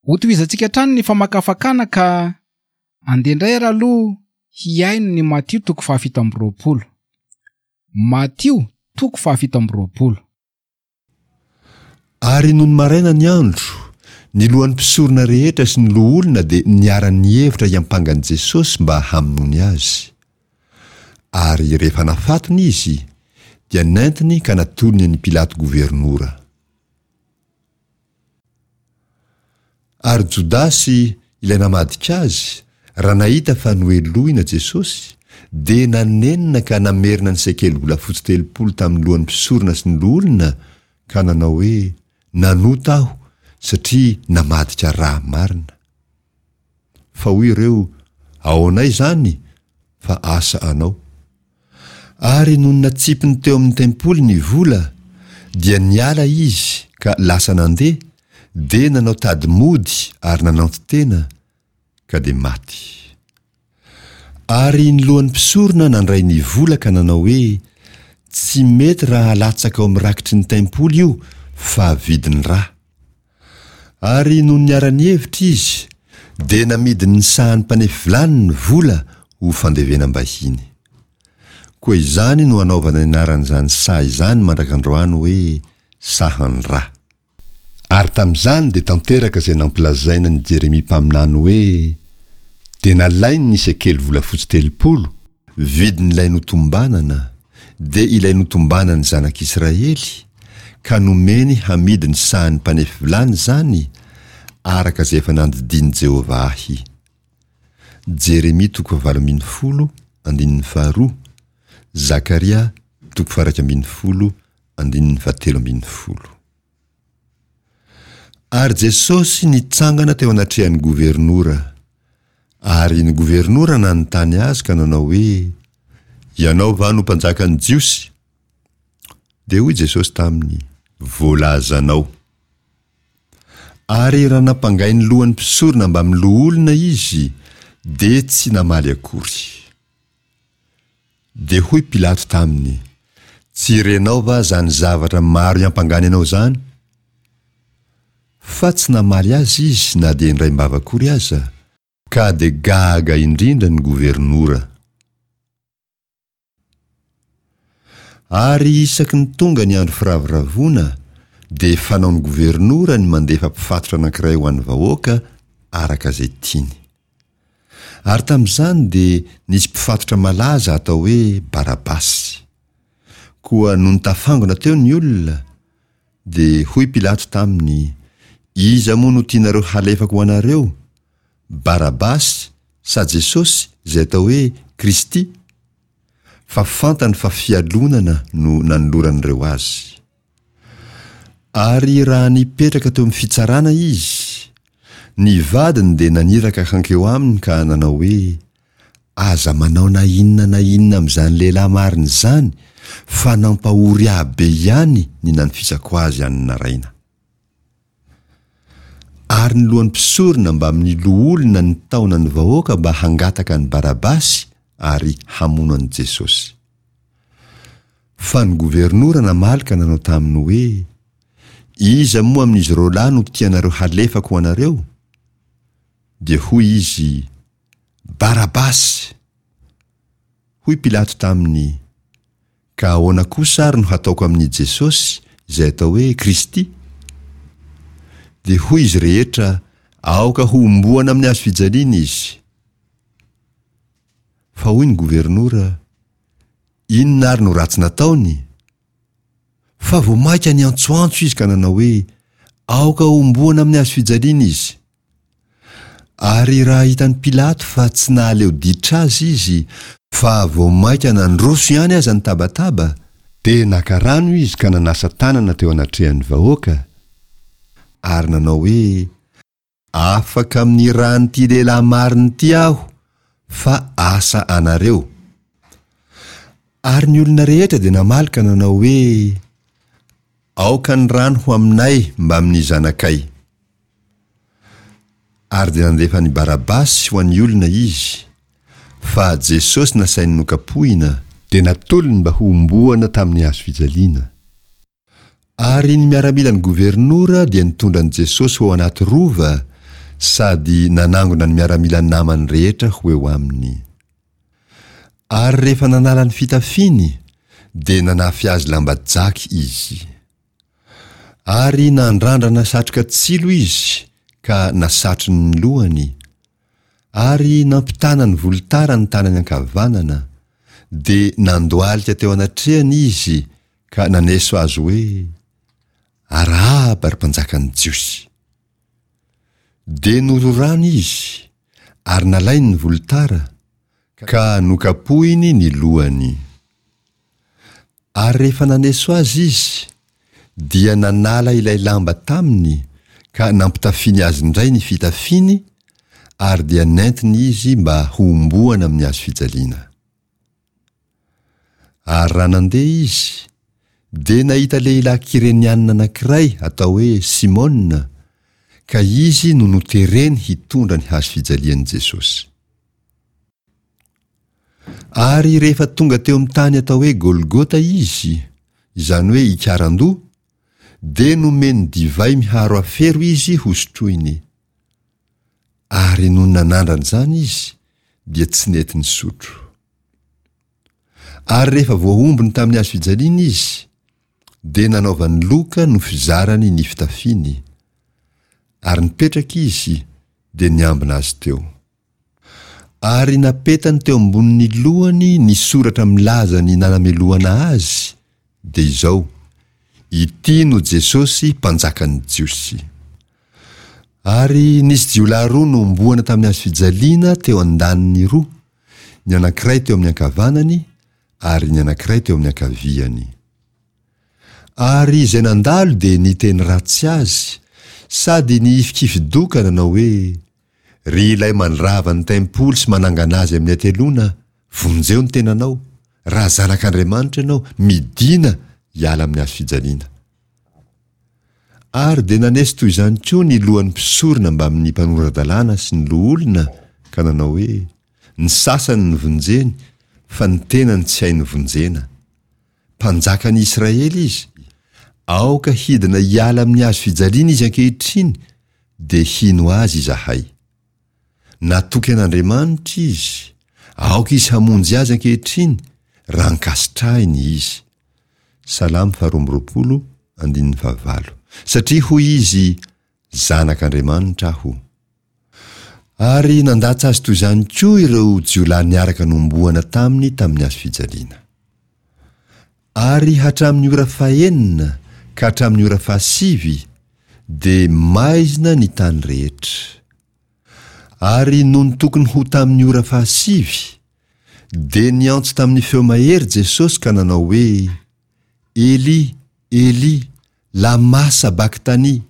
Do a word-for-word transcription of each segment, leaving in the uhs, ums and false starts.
Hotohizantsika hatrany ny famakafakana ka andeha indray ary aloha hihaino ny Matio toko fahafito amby roapolo. Matio toko fahafito amby roapolo. Ary nony maraina ny andro, ny lohan'ny mpisorona rehetra sy ny loholona dia niara-nihevitra hiampanga an'i Jesosy mba hamonoany azy. Ary rehefa nafatony izy, dia nentiny ka natolony an'i Pilato governora. Ary Jodasy, ilay namadika azy, raha nahita fa nohelohina Jesosy, dia nanenina ka namerina ny sekely volafotsy telopolo tamin'ny lohan'ny mpisorona sy ny loholona, ka nanao hoe, Nanota aho, satria namadika ra marina. Fa hoy ireo, Ahoanay izany, fa asa anao. Ary nony natsipiny teo amin'ny tempoly ny vola, dia niala izy ka lasa nandeha, dia nanao tady mody ary nananton-tena, ka dia maty. Ary ny lohan'ny mpisorona nandray ny vola ka nanao hoe, Tsy mety raha alatsaka ao amin'ny rakitry ny tempoly io, fa vidin'ny ra. Ary nony niara-nihevitra izy, dia namidiny ny sahan'ny mpanefy vilany ny vola ho fandevenam-bahiny. Koa izany no anaovana ny anaran'izany saha izany mandrak'androany hoe Sahan-dra. Ary tamin'izany dia tanteraka izay nampilazaina an'i Jeremia mpaminany hoe, Dia nalainy ny sekely volafotsy telopolo, vidin'ilay notombanana, dia ilay notombanan'ny zanak'Israely, ka nomeny hamidy ny sahan'ny mpanefy vilany izany, araka izay efa nandidian'i Jehovah ahy. Jeremia toko fahavalo ambin'ny folo, andininy faharoa, Zakaria toko faha-iraika ambin'ny folo, andininy fahatelo ambin'ny folo. Ary Jesosy nitsangana teo anatrehan'ny governora. Ary ny governora nanontany azy ka nanao hoe, Ianao va no mpanjakan'ny Jiosy? Dia hoy Jesosy taminy, Voalazanao. Ary raha nampangain'ny lohan'ny mpisorona mbamin'ny loholona izy, dia tsy namaly akory. Dia hoy Pilato taminy, Tsy renao va izany zavatra maro iampangany anao izany? Fa tsy namaly azy izy na dia indraim-bava akory aza, ka dia gaga indrindra ny governora. Ary isaky ny tonga ny andro firavoravoana, dia fanaon'ny governora ny mandefa mpifatotra anankiray ho an'ny vahoaka araka izay tiany. Ary tamin'izany dia nisy mpifatotra malaza atao hoe Barabasy. Koa nony tafangona teo ny olona, dia hoy Pilato taminy, Iza moa no tianareo halefako ho anareo, Barabasy sa Jesosy izay atao hoe Kristy? Fa fantany fa fialonana no nanoloran'ireo azy. Ary raha nipetraka teo amin'ny fitsarana izy, ny vadiny dia naniraka hankeo aminy ka nanao hoe, Aza manao na inona na inona amin'izany lehilahy marina izany, fa nampahory ahy be ihany ny nanofisako azy any naraina. Ary ny lohan'ny mpisorona mbamin'ny loholona nitaona ny vahoaka mba hangataka an'i Barabasy ary hamono an'i Jesosy. Fa ny governora namaly ka nanao taminy hoe, Iza moa amin'izy roalahy no tianareo halefako ho anareo? Dia hoy izy, Barabasy! Hoy Pilato taminy, Ka ahoana kosa ary no hataoko amin'i Jesosy, izay atao hoe Kristy? Dia hoy izy rehetra, Aoka hohomboana amin'ny hazo fijaliana izy. Fa hoy ny governora, Inona ary no ratsy nataony? Fa vao mainka niantsoantso izy ka nanao hoe, Aoka homboana amin'ny hazo fijaliana izy. Ary raha hitan'i Pilato fa tsy nahaleo ditra azy izy, fa vao mainka nandroso ihany aza ny tabataba, dia naka rano izy ka nanasa tanana teo anatrehan'ny vahoaka, ary nanao hoe, Afaka amin'ny ràn'ity lehilahy marina ity aho, fa asa anareo. Ary ny olona rehetra dia namaly ka nanao hoe, Aoka ny rany ho aminay mbamin'ny zanakay. Ary dia nandefa an'i Barabasy ho an'ny olona izy, fa Jesosy nasainy nokapohina, dia natolony mba hohomboana tamin'ny hazo fijaliana. Ary ny miaramilan'ny governora dia nitondra an'i Jesosy ho ao anaty rova sady nanangona ny miaramila namany rehetra ho eo aminy. Ary rehefa nanala ny fitafiany, dia nanafy azy lamba jaky izy. Ary nandrandrana satroka tsilo izy ka nasatrony ny lohany, ary nampitana ny volotara ny tanany ankavanana, dia nandohalika teo anatrehany izy ka naneso azy hoe, Arahaba, ry mpanjakan'ny Jiosy! Dia nororany izy, ary nalainy ny volotara, ka nokapohiny ny lohany. Ary rehefa naneso azy izy, dia nanala ilay lamba taminy ka nampitafiany azy indray ny fitafiany, ary dia nentiny izy mba hohomboana amin'ny hazo fijaliana. Ary raha nandeha izy, dia nahita lehilahy Kyrenianina anankiray atao hoe Simona, ka izy no notereny hitondra ny hazo fijalian'i Jesosy. Ary rehefa tonga teo amin'ny tany atao hoe Golgota izy, izany hoe Ikarandoha, dia nomeny divay miharo afero izy hosotroiny. Ary nony nanandrana izany izy, dia tsy nety nisotro. Ary rehefa voahombony tamin'ny hazo fijaliana izy, dia nanaovany loka no fizarany ny fitafiany, ary nipetraka izy, dia niambina azy teo. Ary napetany teo ambonin'ny lohany ny soratra milaza ny nanamelohana azy, dia izao, Ity no Jesosy Mpanjakan'ny Jiosy. Ary nisy jiolahy roa nohomboana tamin'ny hazo fijaliana teo an-daniny roa, ny anankiray teo amin'ny ankavanany ary ny anankiray teo amin'ny ankaviany. Ary izay nandalo dia niteny ratsy azy, sady nihifikifi-doka nanao hoe, Ry ilay mandrava ny tempoly sy manangana azy amin'ny hateloana, vonjeo ny tenanao, raha zanak'Andriamanitra ianao, midìna hiala amin'ny hazo fijaliana. Ary dia naneso toy izany koa ny lohan'ny mpisorona mbamin'ny mpanora-dalàna sy ny loholona ka nanao hoe, Ny sasany novonjeny, fa ny tenany tsy hainy vonjena. Mpanjakan'i Israely izy, aoka hidina hiala amin'ny hazo fijaliana izy ankehitriny, dia hino azy izahay. Natoky an'Andriamanitra izy, aoka izy hamonjy azy ankehitriny, raha ankasitrahiny izy. Salamo faharoa amby roapolo, andininy fahavalo. Satria hoy izy, Zanak'Andriamanitra aho. Ary nandatsa azy toy izany koa ireo jiolahy niaraka nohomboana taminy tamin'ny hazo fijaliana. Ary hatramin'ny ora fahenina ka hatramin'ny ora fahasivy dia maizina ny tany rehetra. Ary nony tokony ho tamin'ny ora fahasivy, dia niantso tamin'ny feo mahery Jesosy ka nanao hoe, Eli, Eli, lama sabaktani?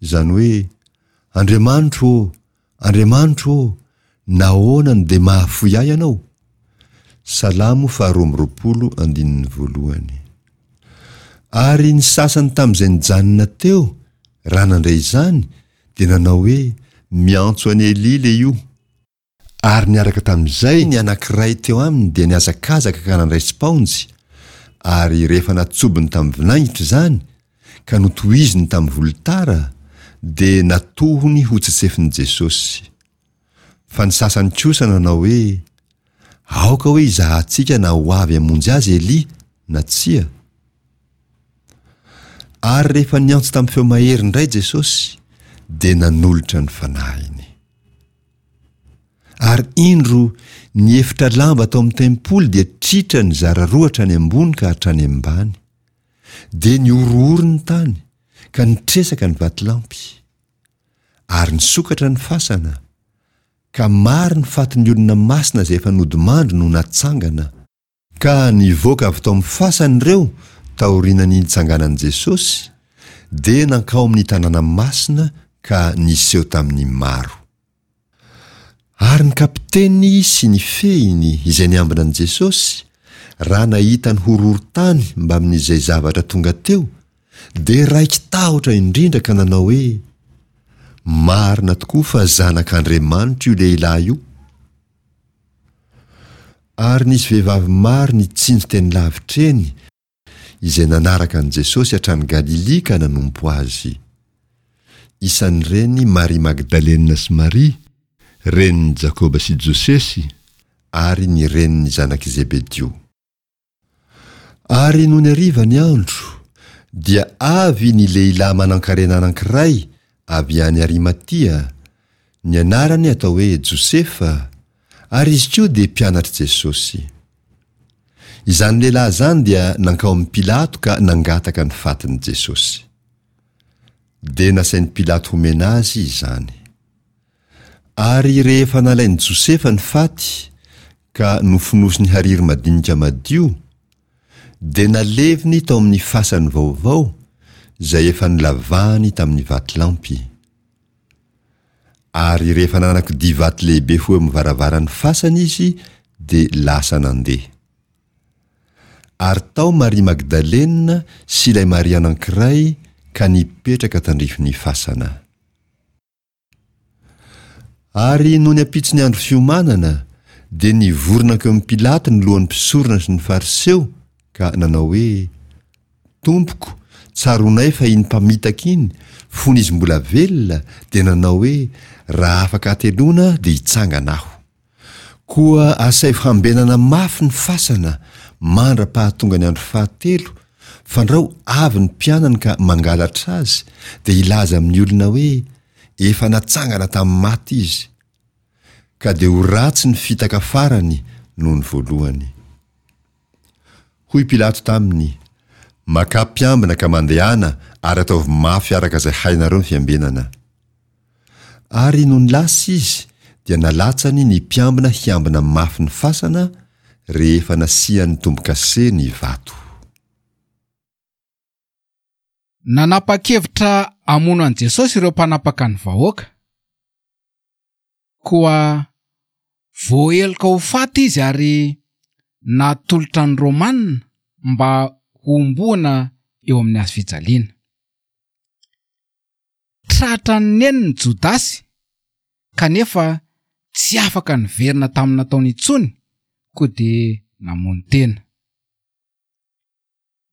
Izany hoe, Andriamanitro ô, Andriamanitro ô, nahoana no dia mahafoy ahy Ianao? Salamo faharoa amby roapolo andininy voalohany. Ary ny sasany tamin'izay nijanona teo, raha nandre izany, dia nanao hoe, Miantso an'i Elia lehio. Ary niaraka tamin'izay ny anankiray teo aminy dia nihazakazaka ka nandray spaonjy, ary rehefa natsobony tamin'ny vinaingitra izany, ka notohiziny tamin'ny volotara, dia natohony ho tsetsefin'i Jesosy. Fa ny sasany kosa nanao hoe, Aoka hoe hizahantsika na ho avy hamonjy azy Elia na tsia. Ary rehefa niantso tamin'ny feo mahery indray Jesosy, dia nanolotra ny fanahiny. Ary indro, ny efitra lamba tao amin'ny tempoly dia tritra nizara roa hatrany ambony ka hatrany ambany. Dia nihorohoro ny tany, ka nitresaka ny vatolampy. Ary nisokatra ny fasana, ka maro ny fatin'ny olona masina izay efa nodimandry no natsangana. Ka nivoaka avy tao amin'ny fasany ireo taorian'ny nitsanganan'i Jesosy, dia nankao amin'ny tanàna masina ka niseho tamin'ny maro. Ary ny kapiteny sy ny fehiny izay niambina an'i Jesosy, raha nahita ny horohorontany mbamin'izay zavatra tonga teo, dia raiki-tahotra indrindra ka nanao hoe, Marina tokoa fa Zanak'Andriamanitra io lehilahy io. Ary nisy vehivavy maro nitsinjo teny lavitra eny, izay nanaraka an'i Jesosy hatrany Galilia ka nanompo azy. Isan'ireny Maria Magdalena sy Maria, renin'i Jakoba sy Josesy, ary ny renin'ny zanak'i Zebedio. Ary nony hariva ny andro, dia avy ny lehilahy manankarena anankiray avy any Arimatia, ny anarany atao hoe Josefa, ary izy koa dia mpianatr'i Jesosy. Izany lehilahy izany dia nankao amin'i Pilato ka nangataka ny fatin'i Jesosy. Dia nasain'i Pilato homena azy izany. Ary rehefa nalain'i Josefa ny faty ka nofonosiny hariry madinika madio, dia naleviny tao amin'ny fasany vaovao izay efa nolavahany tamin'ny vatolampy. Ary rehefa nanakodia vato lehibe ho eo amin'ny varavaran'ny fasany izy dia lasa nandeha. Ary tao Maria Magdalena sy ilay Maria anankiray ka nipetraka tandrifin'ny fasana. Ary nony ampitson'ny andro fiomanana, dia nivory nankeo amin'i Pilato ny lohan'ny mpisorona sy ny Fariseo ka nanao hoe, Tompoko, tsaroanay fa iny mpamitaka iny, fony izy mbola velona, dia nanao hoe, Raha afaka hateloana dia hitsangana aho. Koa asaivo hambenana mafy ny fasana mandra-pahatonga ny andro fahatelo, fandrao avy ny mpianany ka mangalatra azy, dia hilaza amin'ny olona hoe, Efa natsangana tamin'ny maty izy. Ka dia ho ratsy ny fitaka farany noho ny voalohany. Hoy Pilato taminy, Makà mpiambina ka mandehana ary ataovy mafy araka izay hainareo ny fiambenana. Ary nony lasa izy dia nalatsany ny mpiambina hiambina mafy ny fasana rehefa nasiany tombo-kase ny vato. Nanapa-kevitra hamono an'i Jesosy ireo mpanapaka ny vahoaka. Koa voaheloka ho faty izy ary natolotra ny Romana mba hohomboana eo amin'ny hazo fijaliana. Tratran'ny neniny Jodasy kanefa tsy afaka niverina tamin'ny nataony intsony koa dia namono tena.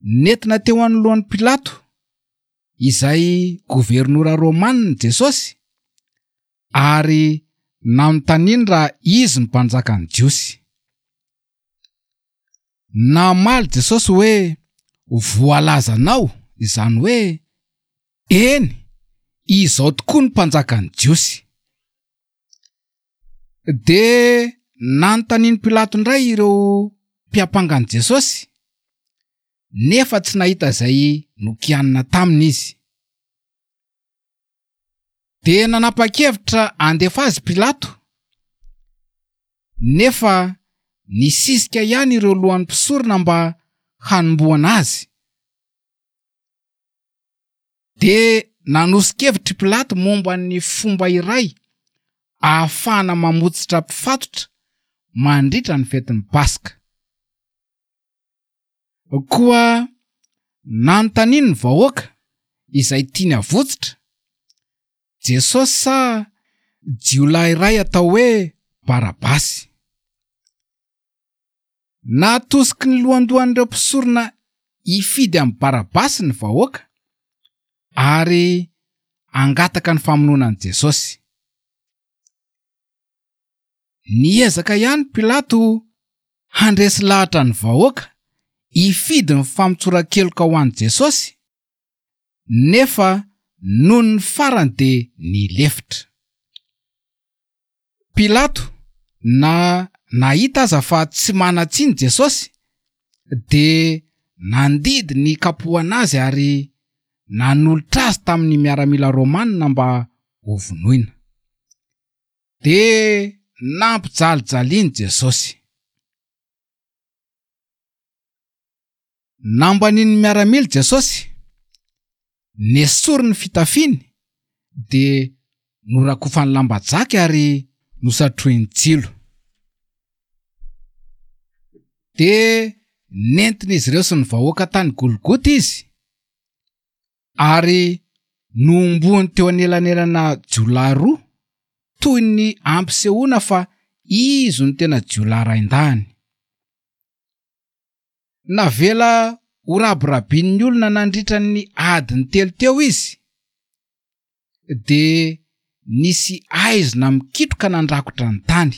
Nentina teo anoloan'i Pilato, izay governora romanina Jesosy, ary nanontaniany raha izy no mpanjakan'ny Jiosy. Namaly Jesosy hoe, Voalazanao, izany hoe, Eny, izao tokoa no mpanjakan'ny Jiosy. Dia nanontanian'i Pilato indray ireo mpiampanga an'i Jesosy, nefa tsy nahita izay nokianina taminy izy. Dia nanapa-kevitra handefa azy Pilato, nefa nisisika ihany ireo lohan'ny mpisorona mba hanombohana azy. Dia nanoso-kevitra i Pilato momba ny fomba iray ahafahana mamotsitra mpifatotra mandritra ny fetin'ny Paska. Koa nanontaniany ny vahoaka izay tiany havotsitra, Jesosy sa jiolahy iray atao hoe Barabasy. Natosiky ny lohandohan'ireo mpisorona hifidy amin'i Barabasy ny vahoaka ary hangataka ny famonoana an'i Jesosy. Niezaka ihany Pilato handresy lahatra ny vahoaka hifidy ny famotsoran-keloka ho an'i Jesosy, nefa noho ny farany dia nilefitra. Pilato na nahita aza fa tsy manan-tsiny Jesosy dia nandidy ny kapohana azy ary nanolotra azy tamin'ny miaramila romanina mba hovonoina. Dia nampijalijaliany Jesosy. Nambanin'ny miaramila Jesosy, nesoriny ny fitafiany dia norakofany lamba jaky ary nosatrohiny tsilo. Dia nentin'izy ireo sy ny vahoaka tany Golgota izy ary nohomboany teo anelanelana jiolahy roa toy ny ampisehoana fa izy no tena jiolahy raindahiny. Navela ho rabirabin'ny olona nandritra ny adiny telo teo izy. dia nisy aizina mikitroka nandrakotra ny tany.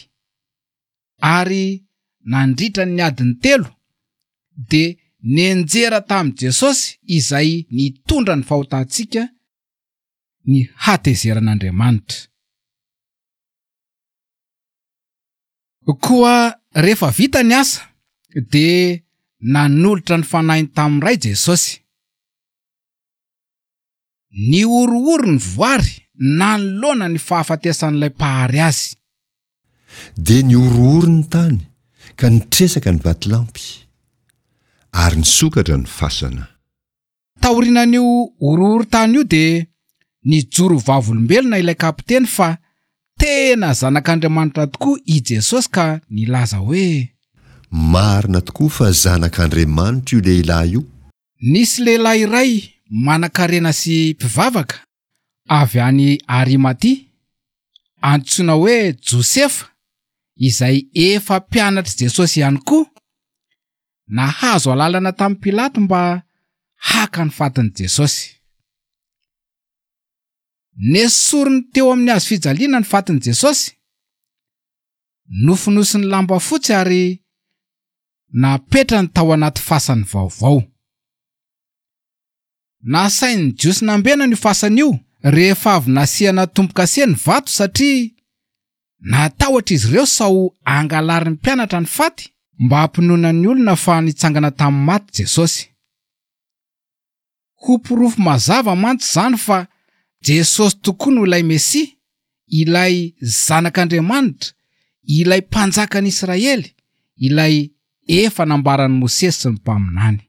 Ary nandritra ny adiny telo dia nianjera tamin'i Jesosy izay nitondra ny fahotantsika ny hatezeran'Andriamanitra. Koa rehefa vita ny asa dia nanolotra ny fanahiny tamin'ny Ray Jesosy. Nihorohoro ny voary nanoloana ny fahafatesan'ilay Mpahary azy. Dia nihorohoro ny tany, ka nitresaka ny vatolampy, ary nisokatra ny fasana. Taorianan'io horohoron-tany io dia nijoro vavolombelona ilay kapiteny fa tena Zanak'Andriamanitra tokoa i Jesosy ka nilaza hoe. Marina tokoa fa Zanak'Andriamanitra io lehilahy io. Nisy lehilahy iray manankarena sy mpivavaka avy any Arimatia, antsoina hoe Josefa, izay efa mpianatr'i Jesosy ihany koa, nahazo alalana tamin'i Pilato mba haka ny fatin'i Jesosy. Nesoriny teo amin'ny hazo fijaliana ny fatin'i Jesosy, nofonosiny lamba fotsy ary napetrany tao anaty fasany vaovao. Nasain'ny Jiosy nambenana io fasana io rehefa avy nasiana tombo-kase ny vato satria natahotra izy ireo sao angalarin'ny mpianatra ny faty mba hampinoana ny olona fa nitsangana tamin'ny maty Jesosy. Ho porofo mazava mantsy izany fa Jesosy tokoa no ilay Mesia, ilay Zanak'Andriamanitra, ilay Mpanjakan'Israely, ilay efa nambaran'i Mosesy sy ny mpaminany.